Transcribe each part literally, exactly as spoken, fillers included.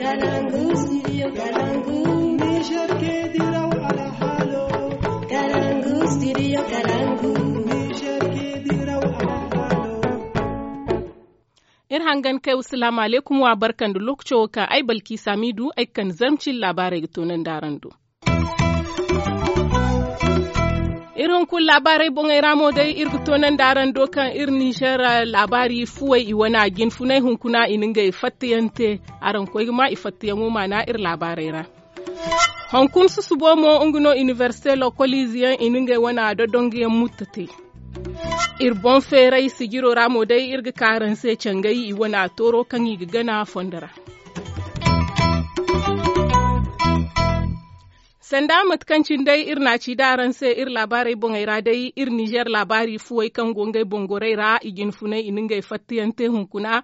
Kalangu, studio Kalangu. Niger ke diraw alhalo. Kalangu, studio Kalangu. Niger ke diraw alhalo. Iri hangan kay, wasalaamu alaykum, wa barka nda lookaco wo kaŋ ay Balki Samidu ay ga kande zarma cine laabaarey ga toonandi araŋ do. Iri hunkuna laabaarey boŋey ra mo day, iri ga toonandi araŋ do kaŋ iri Nizer, ah, laabaari fuwey i wane a jinfunay hunkuna i na ngey fattayaŋ te. Araŋ koy ga ma i fattayaŋo maana iri laabaarey ra. Hunkuna susubo mo, nga no iniversite lokoliize yaŋ i na ngey wane a dodonguyaŋ mutta te. Iri boŋ feeray sijiro ra mo day, iri ga ka araŋ se cangay i wane a tooro kaŋ i ga gana fondo ra. Sanda mate kaŋ cine day iri na a ci da araŋ se iri laabaarey boŋey ra day, iri Nizer laabaari fuwey kaŋ go ngey boŋ gorey ra, i jinfunay i na ngey fattayaŋ te hunkuna.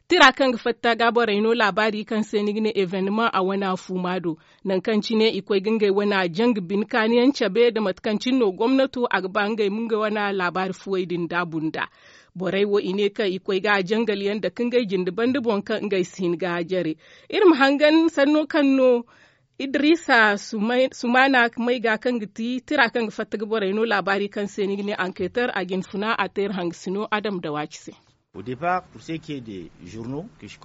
Tira kaŋ ga fatta ga borey no laabaari kaŋ se ni ga ne evenemaŋ a wane a fuuma do. Nangu kaŋ cine i koy ga ngey wane a janga bine kaaniyaŋ cabe nda mate kaŋ cine no gomnato a ga ba ngey ma ngey wane laabaari fuwey din daabu nd'a. Borey wo i ne kaŋ i koy ga a jangal yaŋ dake ngey jinde banda boŋ kaŋ ngey si hin ga a jare. Iri ma hangan sanno kaŋ no Idrisa Sumay- Sumana may ga kaŋ ga ti tira kaŋ ga fatta ga borey no laabaari kaŋ se ni ga ne anketer a jinfuna a te iri hangasino Adam Dawaaci se.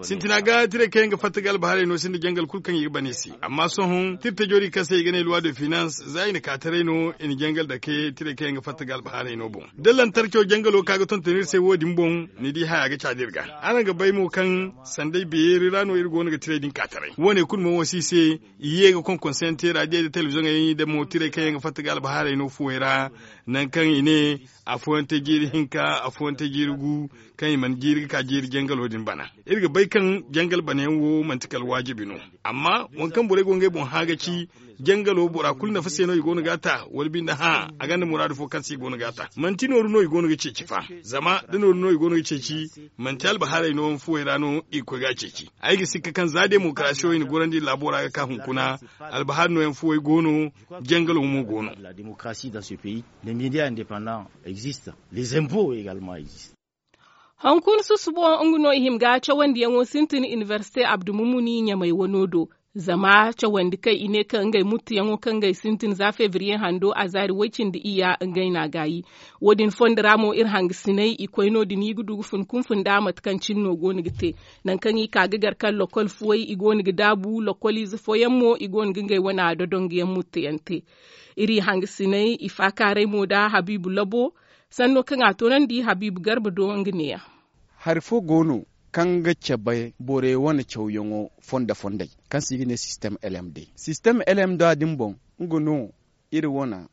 Sintina ga tirey kaŋ yaŋ ga fatta ga albahaarey no sinda jangal kulu kaŋ i ga ban i se. Amma sohõ tirtajo din kaŋ se i ga ne loi de finance za i na ka taray no i na jangal dake tirey kaŋ yaŋ ga fatta ga albahaarey no boŋ. Da lantarco jangalo ka ga tonton iri se wo- din boŋ, ni di haya ga caadi iri ga. Araŋ ga bay mo kaŋ sanday beeri ra no iri go no ga tirey din ka taray wo- ne kulu mo wo si i se. I ye ga konkonse yaŋ te raadiyo nda telebiziyoŋey nda mo tirey kaŋ yaŋ ga fatta ga albahaarey no fuwey ra. Nangu kaŋ i ne afooyaŋ te jiiri hinka, afooyaŋ te jiiri gu, kaŋ i mana jiiri ga ka jiiri jangalo din bana. Iri ga bay kaŋ jangal banayaŋ wo manti kala waajibi no. Amma waŋ kaŋ borey go ngey boŋ hã ga ci, jangalo bora kulu nafa se no i go no ga a ta, wala binde hã a gonda muraadu fo kaŋ se i go no ga a ta. Manti nooru no i go no ga ceeci fa. Zama da nooru no i go no ga ceeci, manti albahaarey no yaŋ fuwey ra no i ga koy ga a ceeci. Ay ga sikka kaŋ za demokarasiyo i na gorandi laabo ra ga ka hunkuna, albahaari no yaŋ fuwey go no, jangalo mo go no. Hunkuna susubo nga no i hima ga cawandiyaŋo sintin iniversite abdu mumuni ɲamay wano do. Zama cawandi kaŋ i ne kaŋ ngey muttuyaŋo kaŋ ngey sintin za febriye hando a zaari way-cindi iyya ngey n'a gaayi. Wo- din fondo ra mo iri hangasiney i koy no- din i ga du ga fun kunfun nda mate kaŋ cine no go no ga te. Nangu kaŋ i ka ga gar kaŋ lokol fuwey i go no ga daabu lokol ize fooyaŋ mo i go no ga ngey wane a dodonguyaŋ muttuyaŋ te. Iri hangasiney i faakaaray mo nda habiibu labo. Sanno kaŋ a toonandi habiibu garba do nga neeya. Hari fo go no kaŋ ga cabe borey wane cawyaŋo fondo-fondey kaŋ se i ga ne sistem lmd. Sistem lmd din boŋ, nga no iri wane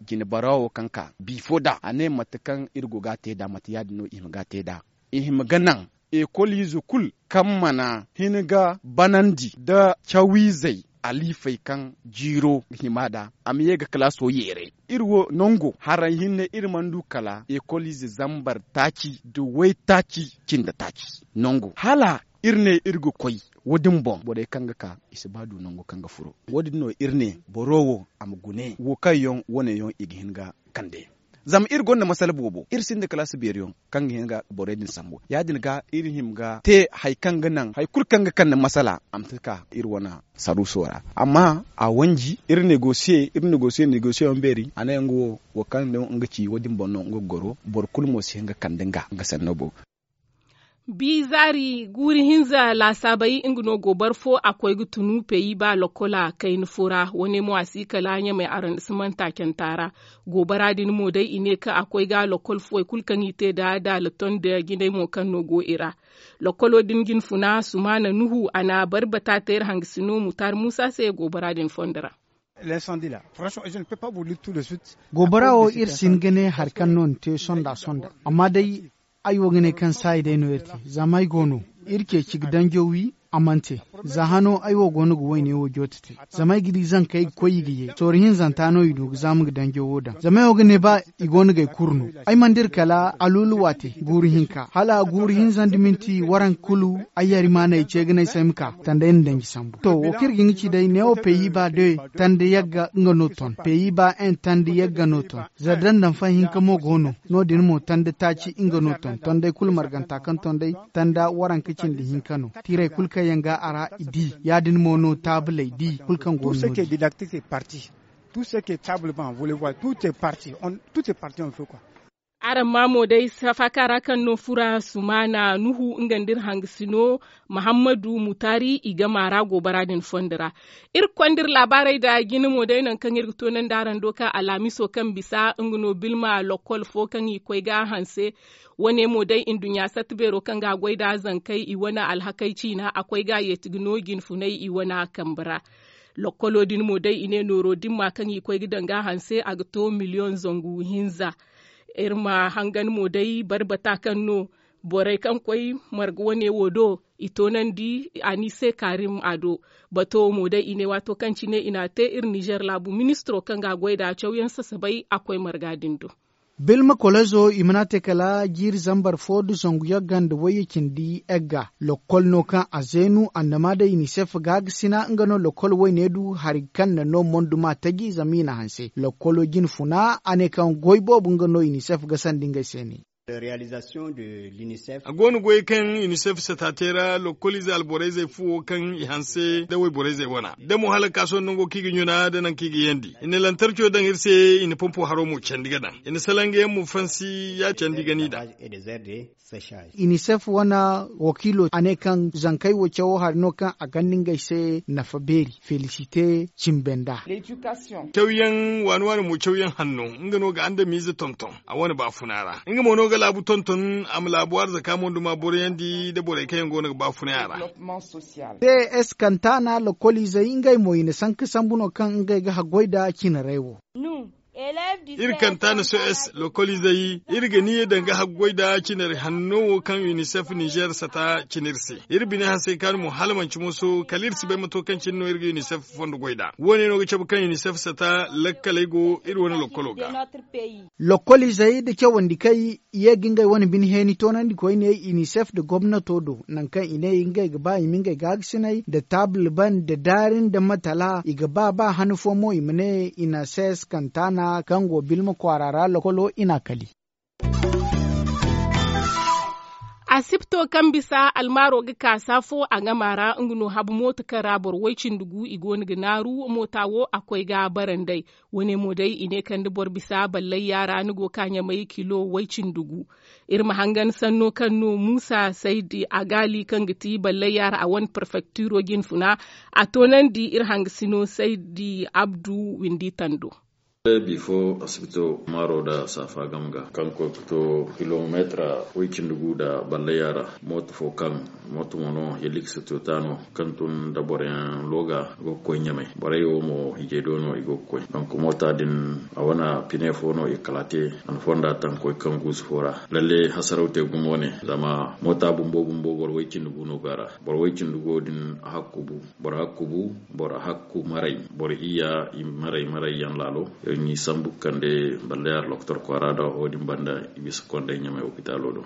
jinebara wo kaŋ ka bi fo nd'a a ne mate kaŋ iri go ga a te nd'a mate ya- din no i hima ga a te nd'a. I hima ga naŋ ekoliize kulu kaŋ mana hin ga banandi nda cawiizey, aliifey kaŋ jiiro ga hima nd'a a ma ye ga kalaaso yeeray. Iri wo nango haray hinne iri mana du kala ekoliize zambar taaci nda waytaaci cindi taaci. Nango hala iri ne iri ga koy wo- din boŋ borey kaŋ ga ka i si ba du nango kaŋ ga furo. Wo- din no iri ne boro wo a ma gune wo kaŋ yaŋ wane yaŋ i ga hin ga kande. Zama iri gonda masala boobo iri sinda kalaasi beeri yaŋ kaŋ ga hin ga borey din sambu ya- din ga iri hima ga te hari kaŋ ga naŋ hari kulu kaŋ ga kande masala a ma si ka iri wane saruuso ra. Amma a wanji iri negosiye iri negosiye negosiye yaŋ beeri a ne nga wo wo kaŋ nga ci wo- din boŋ no nga ga goro boro kulu mo si hin ga kande nga nga sanno boobo. Bi zaari guuri hinza laasaabey nga no goobara fo a koy ga tunu peyi ba lokola kayna fo ra wane mo a si kala ɲamay arandisimanta canta ra. Goobara din mo day i ne kaŋ a koy ga lokol fuwey kulu kaŋ i te nda daala ton nda jinay mo kaŋ no go i ra. Lokolo din jinfuna sumaana nuhu a na bari bata teeri hangasino mutaari muusa se goobara din fondo ra. Goobara wo iri si hin ga ne hari kaŋ no ni te sonda sonda. Amma day ay wo ga ne kaŋ saayi day no iri te zama ay go no iri ceeci ga danjo wi a mana te. Za hano ay wo go no ga wayne wo joote te zama ay ga di zankey ga koy i ga ye soori hinzanta no i du ga zaama ga danjo wo daŋ zama ay wo ga ne ba i go no ga ay kuru no. Ay mana dira kala aluulu waate guuru hinka hala guuru hinza nda minti waranka kulu. Ay yari maanay ce ga ne ay se ay ma ka tanda ay na danji sambu to wo kaŋ iri ga hin ga ci day neewo peyi ba de tanda yagga nga no ton peyi ba en tanda yagga no ton. Za dandan fa hinka mo go no no- din mo tanda taaci nga no ton ton day kulu marganta kaŋ ton day tanda waranka cindi hinka no. Tiiray kulu kaŋ yaŋ ga a ra. Di ya- din mo no taabuley di kulu kaŋ go no. Tout ce qui est didactique est parti. Tout ce qui est table banc volley ball tout est parti. Tout est parti on fait quoi? Araŋ ma mo day safaaka ra kaŋ no fura sumaana nuhu nga nda iri hangasino muhammadu mutaari i gama ra goobara din fondo ra. Iri ga konda iri laabaarey nda jine mo day nangu kaŋ iri ga toonandi araŋ do kaŋ alhamiso kaŋ bisa nga no bilma lokkol fo kaŋ i koy ga a hanse. Wane mo day nduɲɲa satta beero kaŋ ga a goy nda zankey i wane alhakey ciina a koy ga a yeeti ga no jinfunay i wane a kambe ra. Lokkolo din mo day i ne nooro dimma kaŋ i koy ga daŋ ga a hanse a ga to miliyoŋ zangu hinza. Iri ma hangan mo day barbata kaŋ no borey kaŋ koy marga wane wo do i toonandi a ni se kaarim a do. Bato wo mo day i ne waato kaŋ cine i n'a te iri nizer laabu ministiro kaŋ ga a goy nd'a cawyaŋ sasabay a koy marga din do. Bilma kolezo i mana te kala jiiri zambar fo nda zangu yagga nda wayye cindi egga lokkol no kaŋ a zeenu annama day unicef ga ga sina nga no lokkol wayne du hari kaŋ na no monduma taji zama i na hanse lokkolo jine funa a ne kaŋ goy boobo nga no unicef ga sandi ngey se ne. A go no goyey kaŋ unicef sata te ra lokkoliize alborayzey fuwo kaŋ i hanse nda wayborayzey wana da mo hala ka sohõ nango kaŋ i ga ɲuna nda nangu kaŋ i ga yandi i na lantarco daŋ iri se i na pompo haro mo candi ga daŋ i na salangayaŋ mo fansi ya candi ga ni daŋ. Unicef wane wakiilo a ne kaŋ zankey wo cawo hari no kaŋ a ganda ngey se nafa beeri felisite cimbe nda. Cawyaŋ waani waani mo cawyaŋ hanno nga no ga andamiize tonton a wane baafuna ra nga mo no ga laabu tonton a ma laabu arzaka monduma boroyandi nda borey kaŋ yaŋ go no ga baafunay a ra. Ps kantana lokkoliizey ngey mo i na sanka sambu no kaŋ ngey ga haggoy nda cinarey wo. Iri kantana sos lokkoliizey iri ga niya danga haggoy nda cinari hanno wo kaŋ unicef nizer sata cina iri se. Iri bine hansay kaanu mo hala manci moso kala iri si bay mato kaŋ cine no iri ga unicef fondo goy nd'a wo- ne no ga cabe kaŋ unicef sata lakkaley go iri wane lokkolo ga. Lokkoliizey nda cawandikey ye ga ngey wane bine heeni toonandi koyne unicef nda gomnato do nangu kaŋ i ne ngey ga ba i ma ngey gaagasiney nda taabul ban nda daari nda matala i ga ba ba han fo mo i ma ne unicef kantana kaŋ go bilma kwaara ra lokkolo i n'a kali. Asipto kaŋ bisa almaaro ga ka saafo a gama ra nga no habu mooto kaŋ ra boro way-cindi gu i go no ga naaru moota wo a koy ga a barandey. Wo- ne mo day i ne kande boro bisa ballay yaara ni go ka ɲamay kilo way-cindi gu. Iri ma hangan sanno kaŋ no muusa saydi agaali kaŋ ga ti ballay yaara a wane perfektiro jinfuna a toonandi iri hangasino saydi abdu windi tando. Bifo asibito maaro nda saafa game ga kaŋ koy ga to kilomeetira way-cindi gu nda ballayya ra. Mooto fo kaŋ mooto mo no heliks to ta no kaŋ tun nda boroyaŋ looga go ga koy ɲamay borey wo mo hijay do no i go ga koy. Donk moota din a wane pine fo no i kala te. Wane fonda taŋ koy kaŋ guusu fo ra lalle hasaraw te gumo ne zama moota bumbo bumbo boro way-cindi gu no go a ra. Boro way-cindi gu wo din a hakku bu boro hakku bu boro hakku maray boro iyya i maray maray yaŋ laalo. Iri n'i sambu ga kande ballayar lokotor kwaara nda wo- din banda i bisa konday ɲamay opitalo do.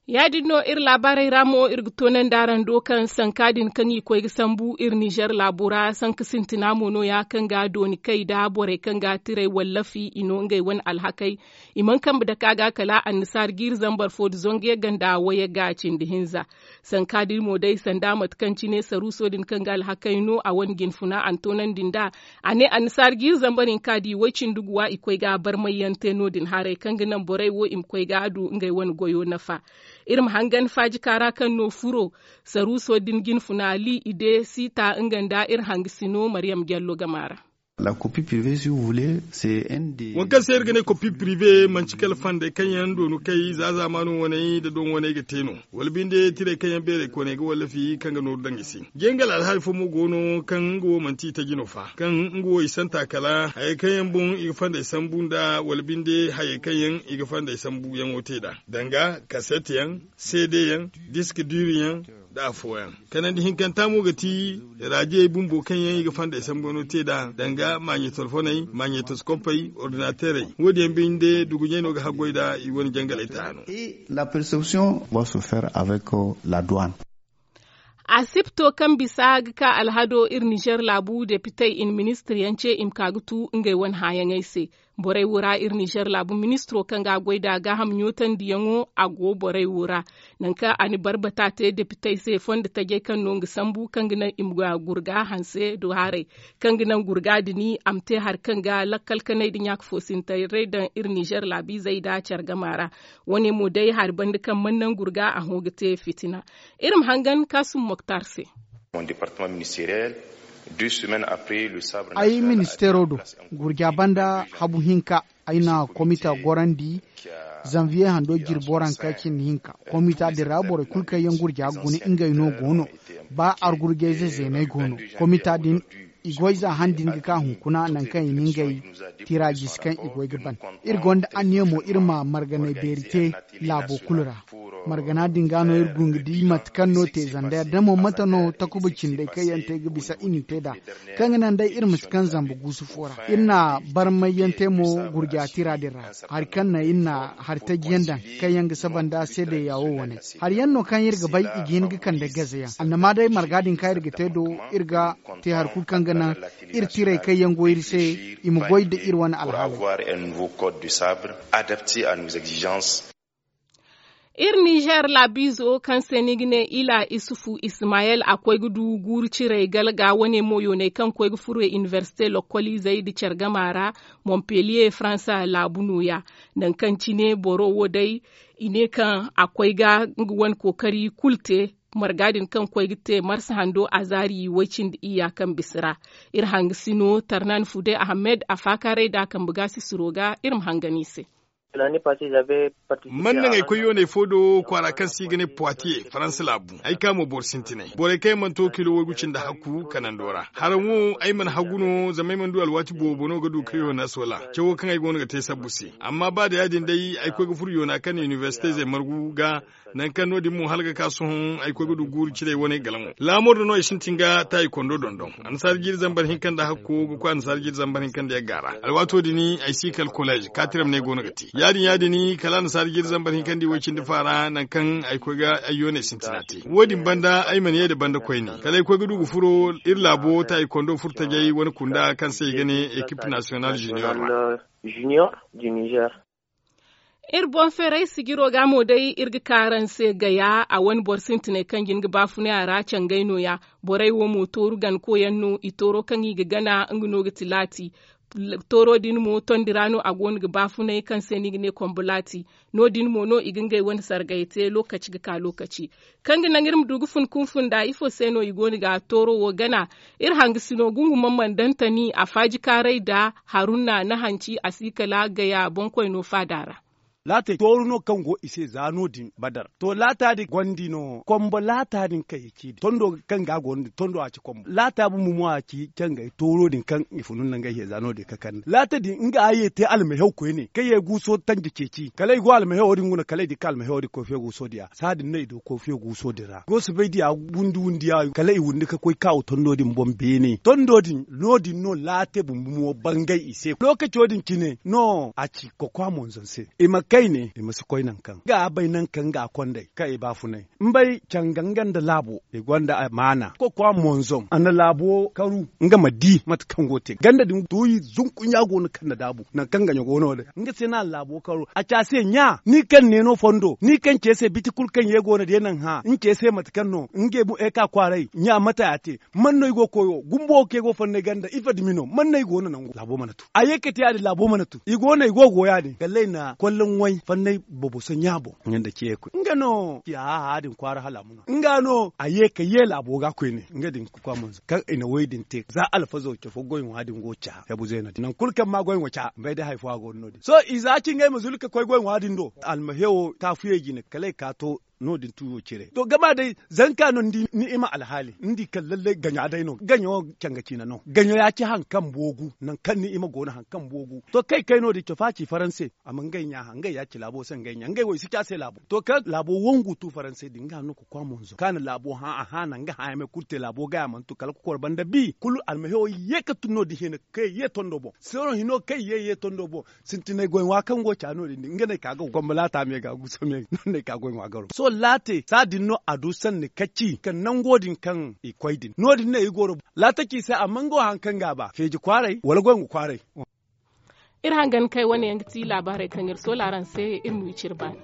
Ya- din no iri laabaarey ra mo iri ga toonandi araŋ do kaŋ sanka din kaŋ i koy ga sambu iri nizer laabo ra sanka sintina mo no- ya kaŋ ga dooni kay nda borey kaŋ ga tiray wallafi i no ngey wane alhakey. I mana kambe dake a ga kala annasaara jiiri zambar fo nda zangu yagga nda wayagga cindi hinza. Sanka din mo day sanda mate kaŋ cine saruuso din kaŋ ga alhakey no a wane jinfuna a na toonandi nd'a. A ne annasaara jiiri zambar hinka di way-cindi guwa i koy ga barmayyaŋ te no- din haray kaŋ ga naŋ borey wo i ma koy ga a du ngey wane goyo nafa. Iri ma hangan faajika ra kaŋ no furo saruuso din jinfuna li i de siita nga nda iri hangasino maryam jallo gama ra. Waŋ kaŋ se iri ga ne kopi pirive manci kala fandey kaŋ yaŋ doonu kay za zaamaano waney nda doŋ waney ga te no. Wala binde tirey kaŋ yaŋ beerey kooney ga wallafi kaŋ ga nooru daŋ i se. Jangal alhaali fo mo go no kaŋ nga wo manti itaji no fa kaŋ nga wo i santa kala hayey kaŋ yaŋ boŋ i ga fandey sambu nda wala binde hayey kaŋ yaŋ i ga fandey sambuyaŋo te nd'a danga kaset yaŋ, seede yaŋ, disk diiri yaŋ, nda afooyaŋ. Kanandi hinkanta mo ga ti raajiyey bumbo kaŋ yaŋ i ga fandey sambu no te nd'a danga maaɲe telefoney maaɲe toskopey ordinaterey wo- din yaŋ binde duguɲey no ga haggoy nd'a i wane jangaley taano. La perception va se faire avec la douane. Asipto kaŋ bisa ga ka alhado iri nizer laabu depitey i na ministir yaŋ ce i ma ka ga tu ngey wane hãyaŋey se. Borey wo ra iri nizer laabu ministiro kaŋ ga a goy nd'a gaaham ɲootandiyaŋo a go borey wo ra. Nangu kaŋ a na barbata te depitey se fondo tajey kaŋ no nga sambu kaŋ ga naŋ i ma gurga hanse do haray, kaŋ ga naŋ gurga din a ma te hari kaŋ ga lakkal kanay nda ɲaaka foosintaray daŋ iri nizer laabiizey nda care gama ra. Wo- ne mo day hari banda kaŋ mana naŋ gurga a hõ ga te fitina. Iri ma hangan kaasum moktar se. Ay ministeero do gurja banda habu hinka, ay na komita gorandi zanviye hando jirbi waranka cindi hinka. Komita din ra borey kulu kaŋ yaŋ gurja ga guna ngey no go no. Ba argurjayze zeeney go no. Komita din i goy za han din ga ka hunkuna nangu kaŋ i na ngey tira jisi kaŋ i goy ga ban. Iri gonda anniya mo iri ma marganay beeri te laabo kulu ra. Margana din ga no iri gungu di mate kaŋ no te zanda yadda mo mate no takuba cindey kaŋ yaŋ te ga bisa i na te nd'a, kaŋ ga naŋ day iri ma si kaŋ zamba guusu fo ra. Iri na barmay yaŋ te mo gurja tira din ra. Hari kaŋ na iri na hari taji yaŋ daŋ kaŋ yaŋ ga saba nda seedeya wo wane. Hari yaŋ no kaŋ iri ga bay i ga hin ga kande gaze yaŋ annama day marga din kaŋ iri ga te do, iri ga te hari kulu kaŋ ga naŋ iri tirey kaŋ yaŋ go iri se i ma goy nda iri wane alhaaley. Iri nizer laabiizo kaŋ se ni ga ne ila isufu ismayel a koy ga du guuru ciray galga wane mo yoonay kaŋ koy ga furo inibersite lokkoliizey nda care gama ra, montpellier faransa laabu nooya. Nangu kaŋ cine boro wo day i ne kaŋ a koy ga nga wane kookari kulu te. Marga din kaŋ koy ga te marsa hando azaari way cindi iyya kaŋ bisa ra. Iri hangasino tarnan fude ahamed a faakaaray nd'a kambe gaasisiro ga iri ma hangan i se. Man naŋ ay koy yooney fo do kwaara kaŋ se i ga ne poitiye faransa laabu ay ka mo boro sintinay borey kaŋ yaŋ mana to kilo waygu cindi hakku kanando ra haraŋ wo ay mana hagu no zama ay mana du alwaati boobo no ga du ka yoona sola cawo kaŋ ay go no ga te sabbu se. Amma ba da ya- din day ay koy ga furo yoona kaŋ na inibersitey zey margu ga. Nangu kaŋ no- din mo hala ga ka sohõ ay koy ga du guuru ciray wane galaŋo laamor da no ay sintin ga taayi kondo dondon. Annasaara jiiri zambar hinka nda hakko ga koy annasaara jiiri zambar hinka nda yagga ra alwaato din ay si kala kolej kaatiram no ay go no ga te ya- din ya- din kala annasaara jiiri zambar hinka nda i way cindi faara nangu kaŋ ay koy ga ay yooney sintina te wo- din banda ay mana ye nda banda koyne kala ay koy ga du ga furo iri laabo taayi kondo furo tajay wane kunda kaŋ se i ga ne ekip nasiyonal junior ra. Iri boŋ feeray sijiro ga mo day iri ga ka araŋ se gaya a wane boro sintinay kaŋ jin ga baafunay a ra cangay nooya. Borey wo mo tooru ganko yaŋ no i tooro kaŋ i ga gana nga no ga ti laati. Tooro din mo tondi ra no a go no ga baafunay kaŋ se no i ga ne kombo laati. No- din mo no i ga ngey wane sargay te lookaci ga ka lookaci. Kaŋ ga naŋ iri ma du ga fun kunfun nd'a ifo se no i go no ga tooro wo gana? Iri hangasino gungu mamman dantani a faaji kaaray nda haruna na hanci a si kala gaya boŋkoy no faada ra. Laatey tooru no kaŋ go i se za no- din badar to laata din gondi no kombo laata din kaŋ i ci din tondo kaŋ ga a go no din tondo a ci kombo laata bumbo mo a ci cangay tooro din kaŋ i funu nda ngey heza no- din ka kande laata din nga a ye te almahew koyne kaŋ ye guuso tanja ceeci kala i go almahewo din guna kala i di ka almahewo din koy fe guuso diya saha din no i du koy fe guuso din ra go si bay diya wundi wundi ya kala i wundi ka koy kaawo tondo din boŋ beene tondo din no- din no laate bumbo mo bangay i se lookaco din cine no a ci kokwa monzon se i ma kayne i ma si koy nangu kaŋ ga a bay nangu kaŋ ga a kondey kaŋ i baafunay mbay canga nga nda laabo i gonda amaana kokwa monzon a na laabo karu nga ma di mate kaŋ go te ganda din duuyi zunkunya go no kaŋ na daabu nangu kaŋ gaɲo go no din nga se no a na laabo karu a ci a se ɲa ni kaŋ ne no fondo ni kaŋ ce se biti kulu kaŋ ye go no day naŋ hã ni ce se mate kaŋ no nga eka kwaaray ɲa mate a te man no i go koyo gumbo wo kaŋ i go fonnay ganda ifa dumi no man no i go no nangu laabo mana tu a ye ka te ya- din laabo mana tu i go no i go go ya- din kallay na kolloŋ way fonnay boboso ɲa boŋ nga nda ce koy nga no ci a hã din kwaara hala a ma no nga no a ye ka ye laabo ga koyne nga din ga kwa monzo kaŋ i na way din te za alfazo ce fo goy ŋwa din go ca hebu zayna din nangu kulu kaŋ ma goy ŋwa ca mbay day hari fo a go no- din sohõ i za ci ngey ma zulu ka koy goy ŋwa din do almahewo taafuyey jine kala i ka to no- din tuuyo cire to gama day zanka no ni di ni'ima alhaali ni di kaŋ lallay gaɲa day no gaɲo canga ciina no gaɲo ya ci hari kaŋ boogu nangu kaŋ ni'ima go no hari kaŋ boogu to kaŋ i kay no- din cofa ci faranse a ma ngey ɲa hã ngey ya ci laabo se ngey ɲa ngey wo i si ci a se laabo to kaŋ laabo wangu tu faranse din nga no ga kwa monzo kaŋ a na laabo hã a hã naŋ ga hã yaŋ me kulu te laabo gay a mana tu kala kokoro banda bi kulu almahewo ye ka tun no- din hina kaŋ ye ye tondo boŋ sohõ hino kaŋ ye ye tondo boŋ sintinay goy ŋwa kaŋ go ca no- din nga no ay ka ga gombo laata me ga guuso me no- din ay ka goy ŋwa garo sohõ laate saha din no a du sanni ka ci kaŋ nango din kaŋ i koy din no- din no i goro laata ci se amma nga wo hari kaŋ ga a ba feeji kwaaray wala goy ŋwa kwaaray Iri hangan kay wane yaŋ ga ti laabaarey kaŋ iri soola araŋ se. Iri ma wi cire baani.